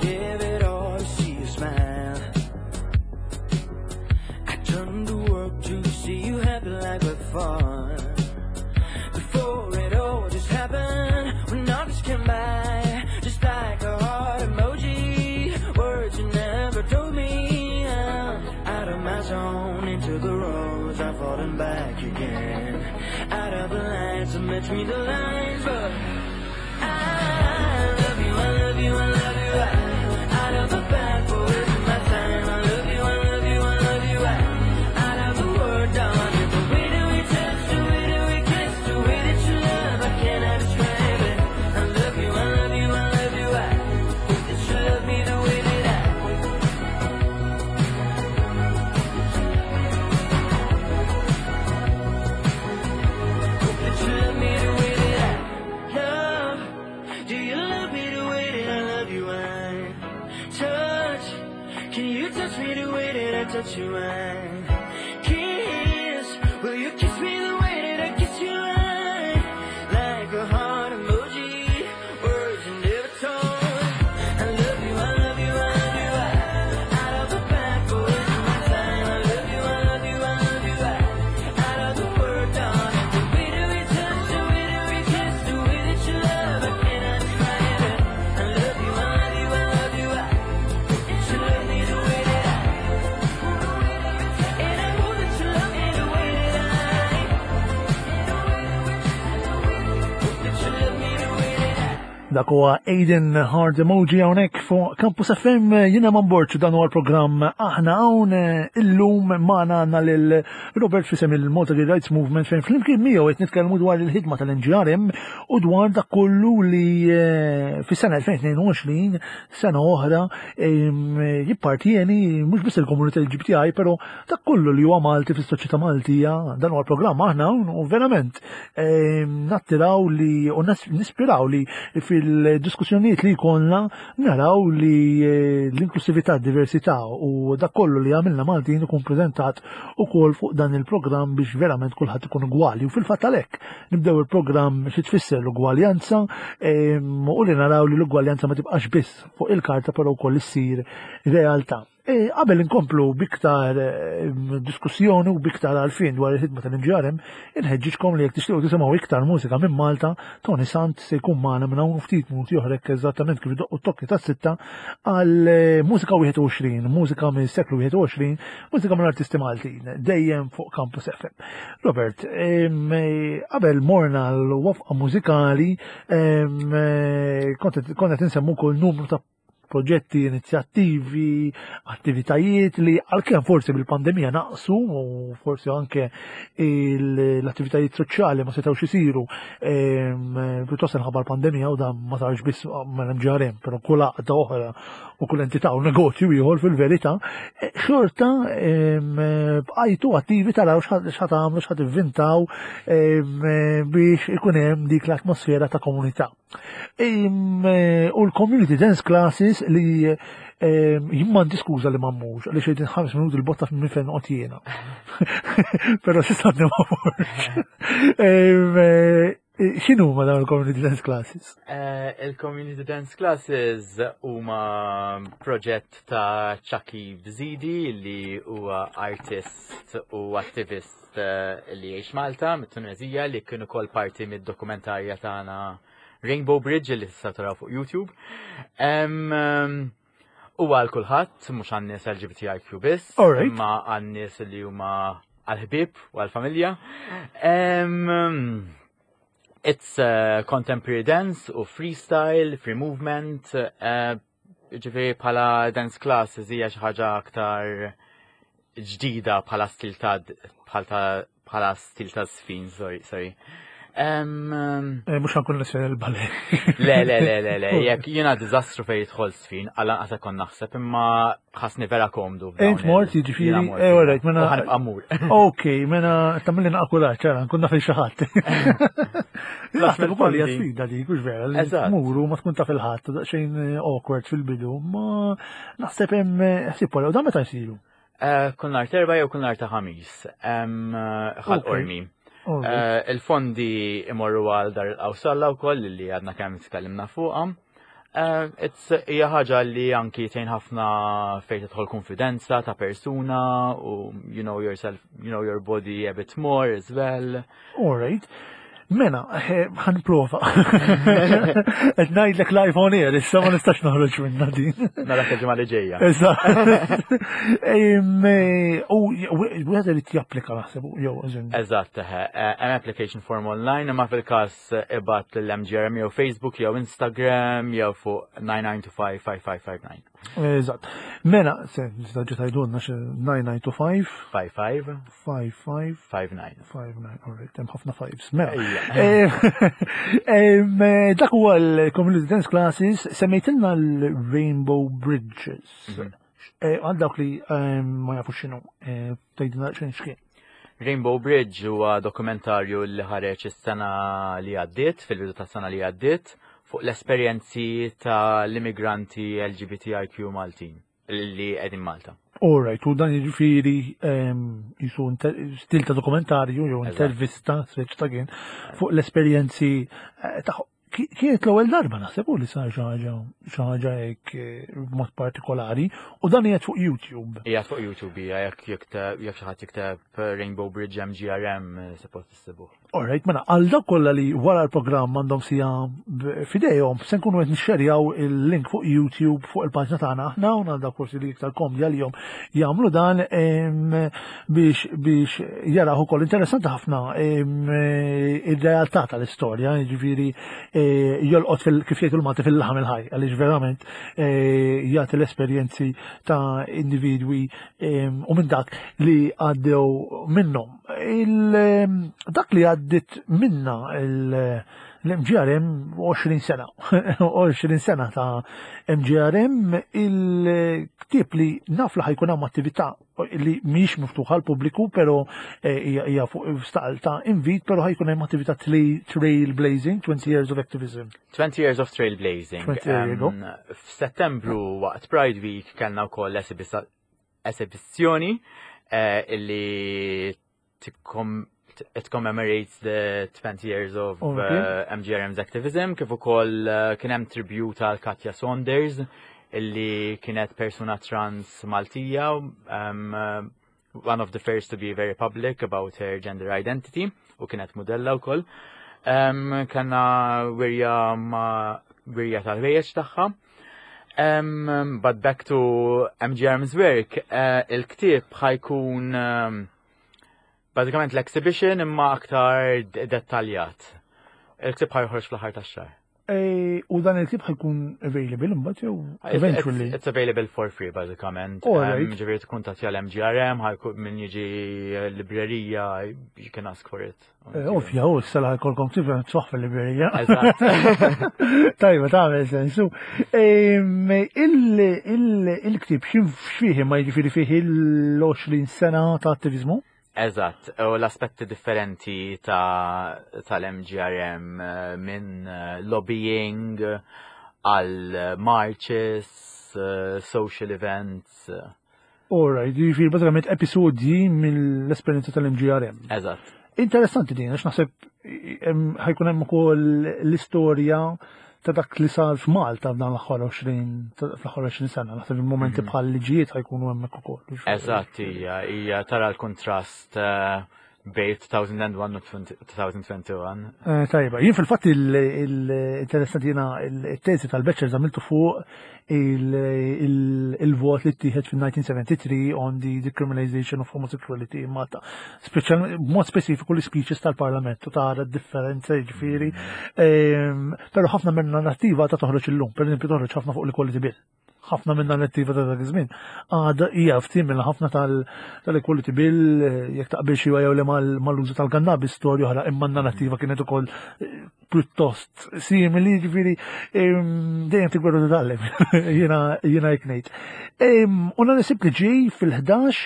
give it all to see you smile. I turn to work to see you happy like before. Before it all just happened, when August came by, just like a heart emoji, words you never told me. I'm out of my zone, into the roads, I'm falling back again. Out of the lines, I'm between the lines, but I love you, I love you, I love you. I, out of the bad boys in my time. I love you, I love you, I love you. I, out of the word, darling. The way that we touch, the way that we kiss, the way that you love, I cannot describe it. I love you, I love you, I love you. I hope that you love me the way that I. Hope that you love me the way that I love. Do you love me the way that I love you? I touch. Can you touch me the way that I touch you? I kiss. Will you kiss me the way that I kiss you? I like a heart emoji, words you never told. I love you, I love you, I love you. I out of the bad boys in my time. I love you, I love you, I love you. I out of the word, darling. The way that we touch, the way that we kiss, the way that you love, I cannot describe it. I love you, I love you, I love you. I hope that you love me the way that I. And I hope that you love me the way that I. Hope that you love me the way that I. Dak huwa Aiden Hard Emoji hawnhekk fuq Campus FM jiena Eman Borg dan huwa l-programm aħna hawn illum magħna għandna lil Robert f'isem il-Malta Gay Rights Movement fejn flimkien miegħu qed nitkellmu dwar il-ħidma tal-MGRM u dwar dak kollu li fis-sena 2022 sena oħra jippartjeni mhux biss il-komunità LGBTI però dak kollu li huwa Malti fis-soċjetà Maltija dan huwa l-programm aħna hawn u verament nattiraw li u nispiraw li fil-diskussjonijiet li jkollna naraw li l-inklusività, diversità u dak kollu li għamilna Maltin ikun preżentat ukoll fuq dan il-programm biex verament kulħadd ikun ugwali. U fil-fatt għalhekk nibdew il-programm xi tfisser l-ugwaljanza u li naraw li l-ugwaljanza ma tibqax biss fuq il-karta però wkoll issir realtà. Qabel inkomplu biktar diskussjoni u biktar għarfien dwar il-ħidma tal-MGRM, inħeġġiġkom li jekk tixtiequ tisimgħu iktar mużika minn Malta, Tony Sant se jkun magħna minn hawn ftit minuti oħra eżattament kif idoqqu t-tokki tas-sitta għal mużika 21, mużika minn seklu 21, mużika minn artisti Maltin, dejjem fuq Campus FM. Robert, qabel morna l-waqfa mużikali, konna tinsemmu kol numru ta' proġetti, inizjattivi, attivitajiet li għalkemm forsi bil-pandemija naqsu u forsi anke l-attivitajiet soċjali ma setgħux isiru pjuttost minħabba l-pandemija u dan ma sarx biss mal-MGRM, però kull għaqda oħra u kull entità u negozju ieħor fil-verità, xorta bqajtu attivi taraw x'ħa tagħmlu, x'ħa tivvintaw biex ikun hemm dik l-atmosfera ta' komunità. U l-community dance classes li jien m'għandi skuża li ma mmurx, għaliex qegħdin 5 minuti l-botta minn fejn noqgħod jiena. Però s'issa għadni ma mmurx. X'inhu ma dawn il-community dance classes? Il-community dance classes huma proġett ta' Chucky Bzidi li huwa artist u attivist li jgħix Malta mit-Tunezija li kien ukoll parti mid-dokumentarja tagħna Rainbow Bridge li tista' taraw fuq YouTube. Huwa għal kulħadd, mhux għan-nies LGBTIQ biss, imma għan-nies li huma għal-ħbib u għal-familja. It's uh, contemporary dance u freestyle, free movement, uh, ġifieri bħala dance classes hija xi ħaġa aktar ġdida bħala stil ta' bħala stil ta' sfin, sorry, sorry. Eh, mux ħankun nisfin il-ballet. Le, le, le, le, le, jek jena dizastru fej jidħol sfin, għalla għasa kon naħseb, imma ħasni vera komdu. Int mort, jiġifieri, eh, all right, mela. Ħanibqa' mur. Ok, mela tagħmilli naqkuraġġ, ċara, nkun naf il-xi ħadd. Naħseb ukoll hija sfida dik, hux vera, li tmur u ma tkun taf il-ħadd, daqsxejn eh, awkward fil-bidu, ma naħseb hemm eh, ħsieb wara, u dan meta jsiru? Eh, kull nhar terba jew kull nhar ta' ħamis, ħal qormi. Il-fondi imorru għal dar il-qawsalla wkoll li għadna kemm tkellimna fuqha. Hija ħaġa li anki tgħin ħafna fejn tidħol konfidenza ta' persuna u you know yourself, you know your body a bit more as well. All right. Mela, eh, ħan prova. Qed ngħidlek live on air, issa ma nistax noħroġ minna din. Nara il-ġimgħa li ġejja. Eh, u wieħed irid japplika naħseb jew Eżatt, eh, hemm application form online, imma fil-każ ibgħat lill-MGRM jew Facebook jew Instagram jew fuq 9925 5559. Eżatt. Mela, se, ġi tajdulna xe 9925. 55. 55. 59. 59, alright, hemm ħafna fives. Mela. Eh, eh, dak huwa l-Community Dance Classes, semmejtilna l-Rainbow Bridges. Mhm. Eh, għal dawk li ma jafu x'inhu, tgħidilna x'in x'kien. Rainbow Bridge huwa dokumentarju li ħareġ is-sena li għaddiet, fil-bidu tas-sena li għaddiet, fuq l-esperjenzi tal-immigranti LGBTIQ Maltin li qegħdin Malta. All right, u dan jiġifieri jisu stil ta' dokumentarju jew intervista, speċ ta' kien, fuq l-esperjenzi eh, ta' Kienet l-ewwel darba naħseb u li sar xi ħaġa xi ħaġa hekk eh, b'mod partikolari u dan qiegħed fuq YouTube. Qiegħed fuq YouTube hija jekk jikteb jekk xi ħadd jikteb Rainbow Bridge MGRM eh, suppost issibuh. Alright, mela għal dawk kollha li wara l-programm għandhom sija f'idejhom se nkunu qed nixxerjaw il-link fuq YouTube fuq il-paġna tagħna aħna u għal dawk forsi li iktar komdi għalihom jagħmlu dan biex biex jaraw ukoll interessanti ħafna ir-realtà tal-istorja, jiġifieri eh, jolqot fil kif jgħidu l-Malti fil-laħam il-ħaj, għaliex verament eh, jagħti l-esperjenzi ta' individwi u minn dak li għaddew minnhom. Dak li għaddit minna l-MGRM 20 sena, 20 sena ta' MGRM il-ktib li naf li ħajkun hemm attività li mhix miftuħa għal pubbliku, pero eh, hija fuq staqal ta' invit, pero ħajkun hemm attività trail blazing, 20 years of activism. 20 years of trail blazing. F'Settembru waqt Pride Week kellna wkoll esibizzjoni eh, illi it commemorates the 20 years of uh, eh, MGRM's activism kif ukoll eh, kien hemm tribute għal Katja Saunders illi kienet persuna trans Maltija um, one of the first to be very public about her gender identity u kienet modella wkoll. Um, Kanna wirja ma wirja tal-ħwejjeġ tagħha. Um, but back to MGRM's work, uh, il-ktieb ħajkun um, bażikament l-exhibition imma aktar dettaljat. Il-ktieb ħajħorġ fl-aħħar tax-xahar. E, u dan il-ktieb ħajkun available imbagħad jew eventually. It's, it's available for free bażikament. Um, Ġifieri tkun tagħti għal MGRM, ħajkun min jiġi librerija, you can ask for it. E, ovvja, u s-sala ħajkolkom ktieb tfaħ fil-librerija. Tajba, tagħmel sensu. Il-ktieb x'fih ma jiġifieri fih il-20 sena ta' attivizmu? Eżatt, u l-aspetti differenti ta' tal-MGRM eh, minn eh, lobbying għal marches, eh, social events. Alright, jiġifieri bażikament episodji mill-esperjenza tal-MGRM. Eżatt. Interessanti din, għax naħseb ħajkun hemm ukoll l-istorja ta' dak li sar f'Malta f'dan l-aħħar 20 fl-aħħar 20 sena, naħseb il-momenti mhm. bħal liġijiet ħajkunu hemmhekk ukoll. Eżatt, hija hija tara l-kontrast eh, bej 2001 u 2021. Eh, tajba, jien fil-fatt il-interessanti jiena il-tesi tal-bachelor għamiltu fuq il-vot li ttieħed fil-1973 on the decriminalization of homosexuality in Malta. Speċjalment b'mod speċifiku l-speeches tal-Parlament u tara d-differenza jiġifieri. Ehm, però ħafna minn narrattiva ta' toħroġ illum, per eżempju toħroġ ħafna fuq l-equality bill. ħafna minn narrattiva ta' dak iż-żmien. Għada hija ftim minn ħafna tal-equality bill jekk taqbil xi jew le mal-użu tal-kannabis storja oħra, imma n-narrattiva kienet ukoll eh, pjuttost simili, ġifieri dejjem tikber u titgħallem. Jiena jiena hekk ngħid. U nhar is-Sibt li ġej fil-11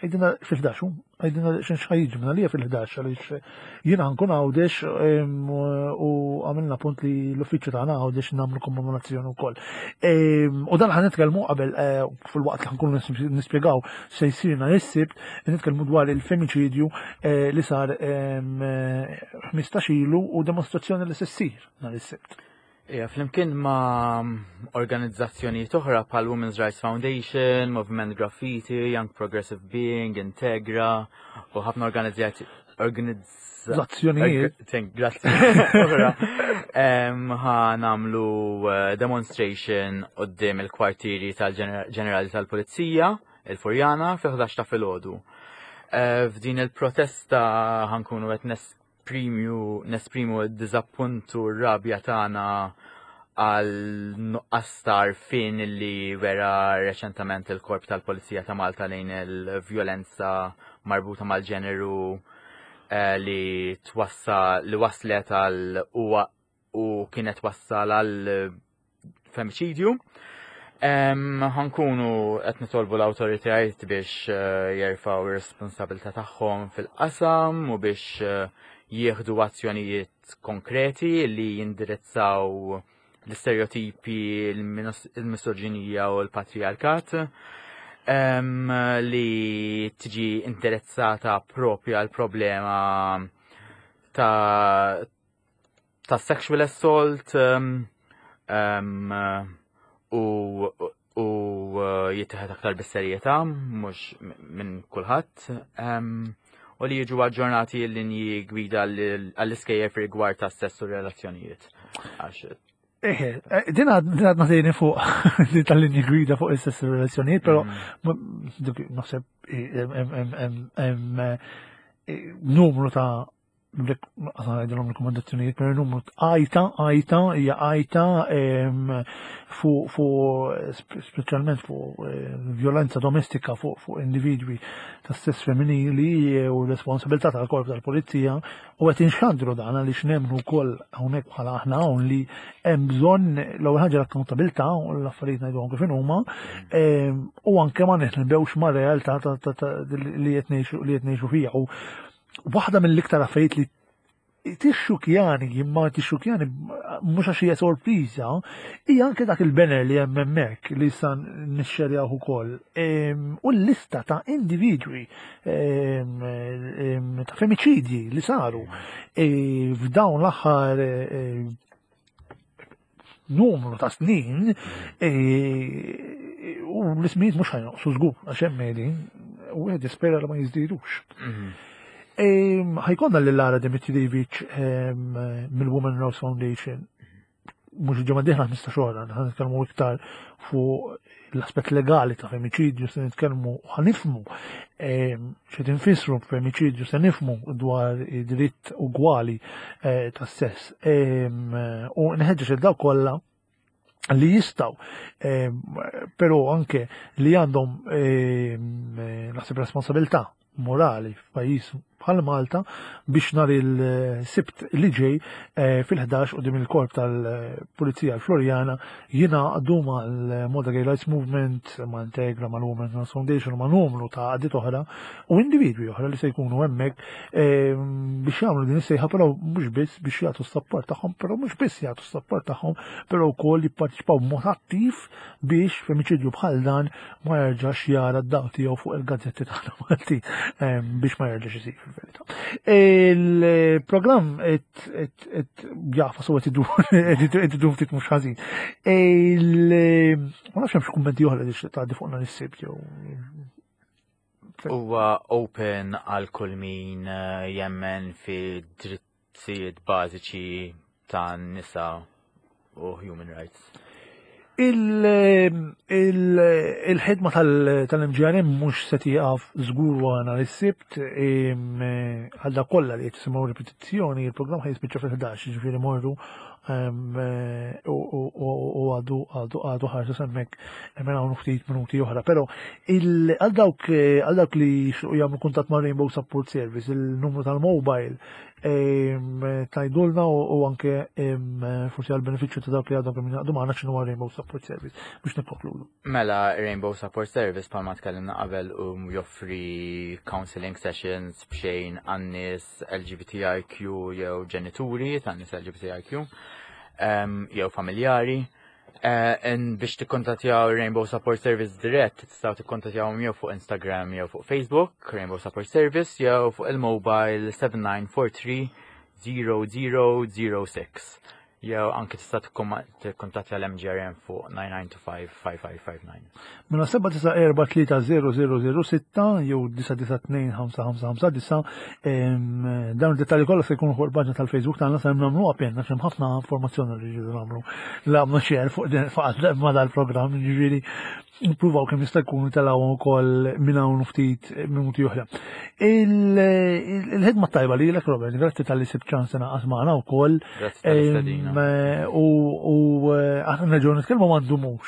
għidilna fil-11 għidilna x'ħajġi minn għalija fil-11 għaliex jiena nkun Għawdex u għamilna punt li l-uffiċċju tagħna Għawdex nagħmlu kommemorazzjoni wkoll. U dan ħan nitkellmu qabel eh, fil-waqt li ħankunu nispjegaw se jsir nhar is-Sibt, nitkellmu dwar il-femiċidju eh, li sar 15 ilu u demonstrazzjoni li se ssir nhar is-Sibt. Ija, flimkien ma' organizzazzjonijiet oħra bħal Women's Rights Foundation, Movement Graffiti, Young Progressive Being, Integra u ħafna organizzazzjonijiet. Grazzi. Oħra. Ħa nagħmlu eh, demonstration qudiem il-kwartieri tal-Ġenerali tal-Pulizija, il-Furjana, fil-11 ta' filgħodu. Eh, f'din il-protesta ħankunu qed nesprimu nesprimu d-diżappunt u r-rabja tagħna għal nuqqas ta' għarfien li wera reċentament il-Korp tal-Pulizija ta' Malta lejn il-vjolenza marbuta mal-ġeneru eh, li twassa li waslet għal u, u kienet wassal għal femiċidju. Ħankunu qed nitolbu l-awtoritajiet biex eh, jerfgħu ir-responsabilità tagħhom fil-qasam u biex eh, jieħdu azzjonijiet konkreti li jindirizzaw l-istereotipi, il-misoġinija u l-patriarkat li tiġi indirizzata propja l-problema ta' ta' sexual assault um, um, u u uh, jittieħed aktar bis-serjetà mhux minn kulħadd um, u li jiġu aġġornati l-linji gwida għall-iskejjer rigward ta' sess u relazzjonijiet. Għax Eħe, eh, din għadna tejni fuq din tal-linji gwida fuq is-sess u relazzjonijiet, però mm. naħseb eh, eh, numru ta' Għazan għajdilom rekomendazzjonijiet, per numru għajta, għajta, hija għajta fuq fu, speċjalment fuq eh, violenza domestika fuq fu individwi ta' stess femminili u responsabilità tal-korp tal-polizija u qed inxandru dan għaliex nemmnu wkoll hawnhekk bħala aħna hawn li hemm bżonn l-ewwel ħaġa l-akkountabilità u l-affarijiet ngħiduhom kif huma u anke ma neħnbewx ma' realtà li qed ngħixu fiha. U waħda mill-iktar affarijiet li tixxukjani, imma tixxukjani mhux għax hija sorpriża, hija anke dak il-banner li hemm hemmhekk li issa nixxerjaw ukoll. U l-lista ta' individwi ta' femiċidji li saru e, f'dawn l-aħħar e, numru ta' snin e, u l-ismijiet mhux ħajnoqsu żgur għax hemm qegħdin u wieħed jispera li ma jiżdidux. Mhm. E, ħajkonna lil Lara Dimitrijevic mill-Women Rose Foundation mhux il-ġimgħa dieħla 15 oħra, ħan nitkellmu iktar fuq l-aspett legali ta' femiċidju se nitkellmu ħanifmu ehm, xi tinfissru femiċidju se nifmu dwar id-dritt ugwali eh, tas-sess. Ehm, u nħeġġeġ il dawk kollha li jistaw, ehm, però anke li għandhom naħseb responsabilità morali f'pajjiż bħal Malta biex nhar il-Sibt li ġej eh, fil-11 quddiem il-korp tal-Pulizija l-Floriana jingħaqdu mal-Malta Gay Rights Movement, ma' Integra, mal-Women's Rights Foundation u ma' numru ta' għaqdiet oħra u individwi oħra li se jkunu hemmhekk eh, biex jagħmlu din is-sejħa però mhux biss biex jagħtu s-sapport tagħhom, però mhux biss jagħtu s-sapport tagħhom, però wkoll jipparteċipaw b'mod attiv biex femiċidju bħal dan ma jerġax jara d-dawl tiegħu fuq il-gazzetti tagħna Malti ehm, biex ma jerġax isir fil-verità. Il-programm qed jafa so qed idur ftit mhux ħażin. Ma nafx hemm xi kummenti oħra li tgħaddi fuqna nis-sibt jew. Huwa open għal kull min jemmen fi drittijiet bażiċi tan-nisa u human rights. Il-ħidma tal-MGRM mhux se tieqaf żgur wara nhar is-Sibt, għal dak kollha li qed jisimgħu ripetizzjoni, il-programm ħa jispiċċa fil-11, jiġifieri morru u għadu għadu għadu ħarsu semmek minn hawn ftit minuti oħra. Però għal dawk għal dawk li jixtiequ jagħmlu kuntatt ma' Rainbow Support Service, il-numru tal-mobile tajdulna u anke forsi għal benefiċċju ta' dawk li għadhom kemm jingħaqdu magħna x'inhu Rainbow Support Service biex nikkonkludu. Mela Rainbow Support Service bħalma tkellimna qabel u joffri counseling sessions b'xejn għan-nies LGBTIQ jew ġenituri tan-nies LGBTIQ jew familjari. Biex tikkontattjaw Rainbow Support Service dirett, tistgħu tikkontattjawhom jew fuq Instagram jew fuq Facebook, Rainbow Support Service, jew fuq il-mobile 7943 0006. Jew anke tista' tikkontattja l-MGRM fuq 9925 5559. Mela 794 jew 992 5559, dawn id-dettalji kollha se jkunu fuq il-paġna tal-Facebook tagħna. Se nagħmlu appena għax hemm ħafna informazzjoni li rridu nagħmlu. Nagħmlu share fuq fuq ma dal-programm, ġifieri nippruvaw kemm jista' jkun telgħu wkoll minn hawn ftit minuti oħra. Il-ħidma tajba lilek, Robert, grazzi talli sibt ċans tingħaqad magħna wkoll. Grazzi tal-istedina. U aħna nerġgħu nitkellmu ma ndumux.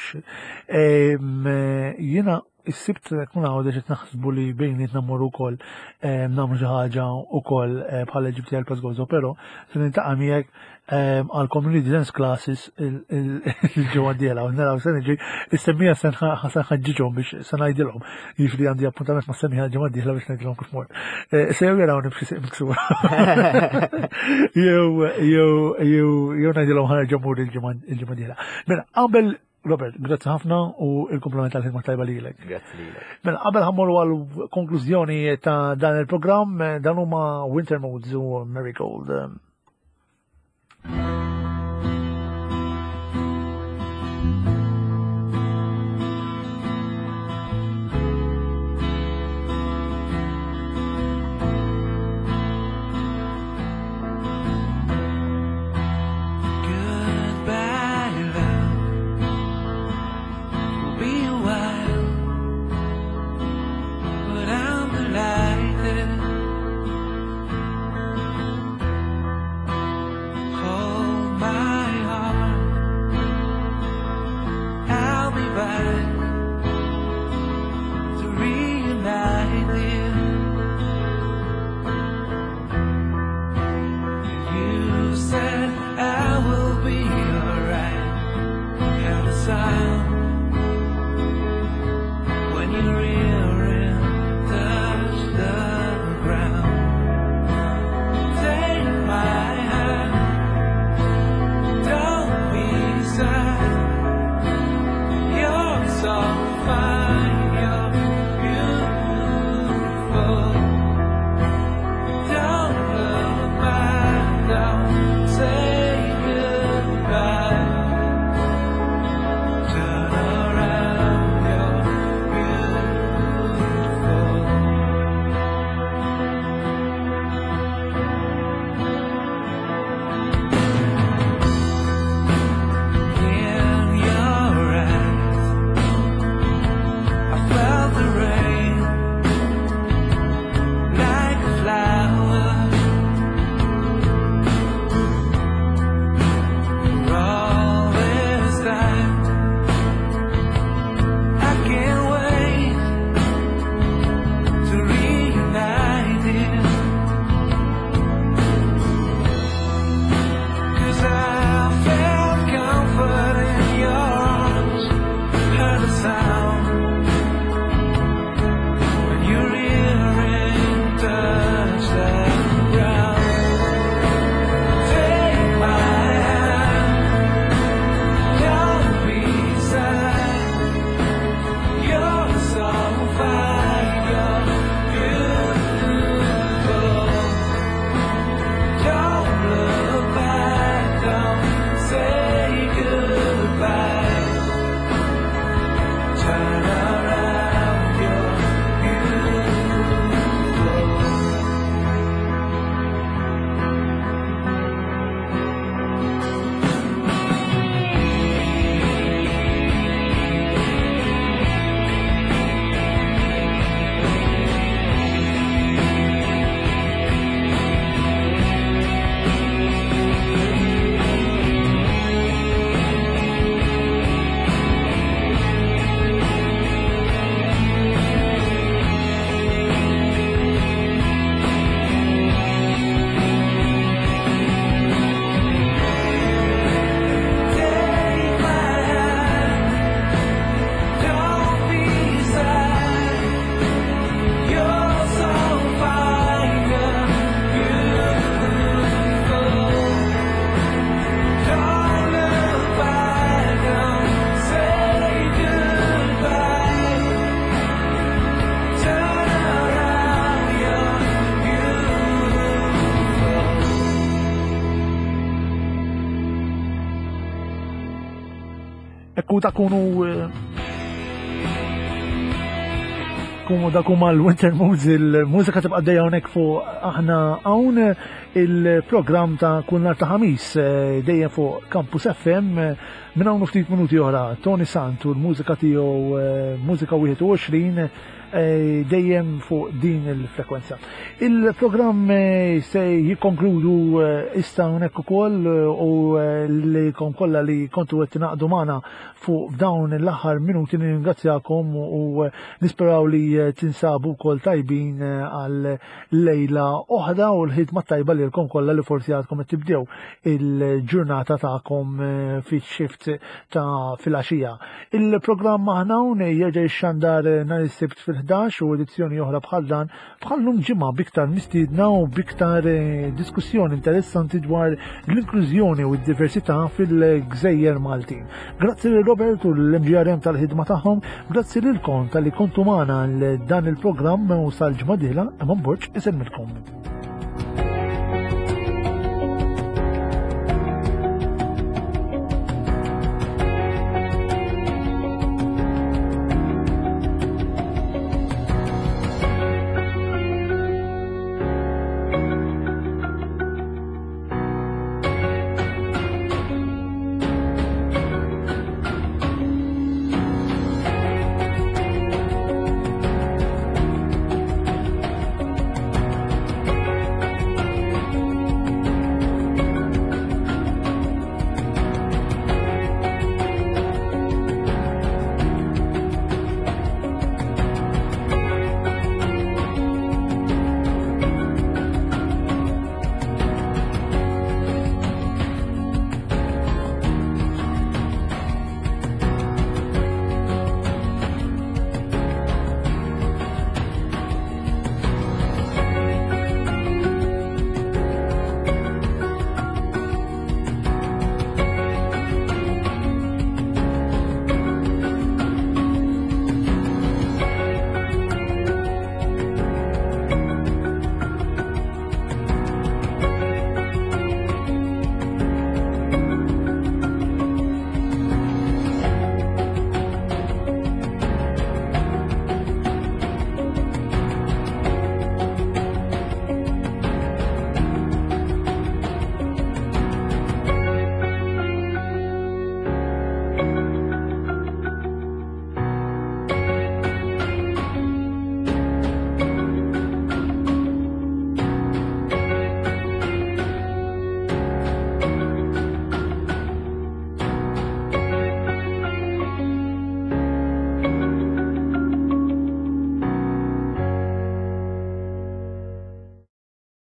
Jiena is-Sibt kun hawn qed naħsbu li bejnietna mmorru wkoll nagħmlu xi ħaġa wkoll bħala LGBTI Plus Gozo, però se niltaqa' miegħek għal community dance classes il-ġimgħa d-dieħla u naraw se niġi is-semmija se nħaġġiġhom biex se ngħidilhom. Jiġifieri għandi appuntament ma' semmija l-ġimgħa d-dieħla biex ngħidilhom kif mort. Se jew jarawni b'xi sieq miksura. Jew ngħidilhom ħa nerġa' mmur il-ġimgħa d-dieħla. Mela qabel Robert, grazzi ħafna u il-kompliment tal-ħidma tajba lilek. Grazzi lilek. Mela qabel ħa mmorru għal konklużjoni ta' dan il-programm, dan huma Winter Moods u Marigold. Goodbye, love. It'll be a while, but I'm delighted. Hold my heart. I'll be back to reunite you. You said I will be alright. Hear the sound when your earring touch the ground. Take my hand, don't be sad. You're so Hemmhekk u takunu Kumu dak huma l-Winter Moods, il-mużika tibqa' dejja hawnhekk fuq aħna hawn il-programm ta' kull nhar ta' ħamis eh, dejjem fuq Campus FM eh, minn hawn ftit minuti oħra Tony Sant u l-mużika tiegħu eh, Mużika 21 dejjem fuq din il-frekwenza. Il-programm se jikkonkludu issa hawnhekk ukoll u li kom kollha li kontu qed tingħaqdu magħna fuq dawn l-aħħar minuti nirringrazzjakom u nisperaw li tinsabu wkoll tajbin għal lejla oħra u l-ħidma tajba lilkom kollha li forsi għadkom qed tibdew il-ġurnata tagħkom eh, fix-shift ta' filgħaxija. Il-programm aħna hawn jerġa' jixxandar eh, nhar is-Sibt fil-11 u edizzjoni oħra bħal dan bħallum ġimgħa biktar mistiedna u biktar eh, diskussjoni interessanti dwar l-inklużjoni u d-diversità fil-gżejjer Maltin. Grazzi lil Robert u l-MGRM tal-ħidma tagħhom, grazzi lilkom tal-li kontu magħna dan il-programm u sal-ġimgħa dieħla, Eman Borg isemmilkom.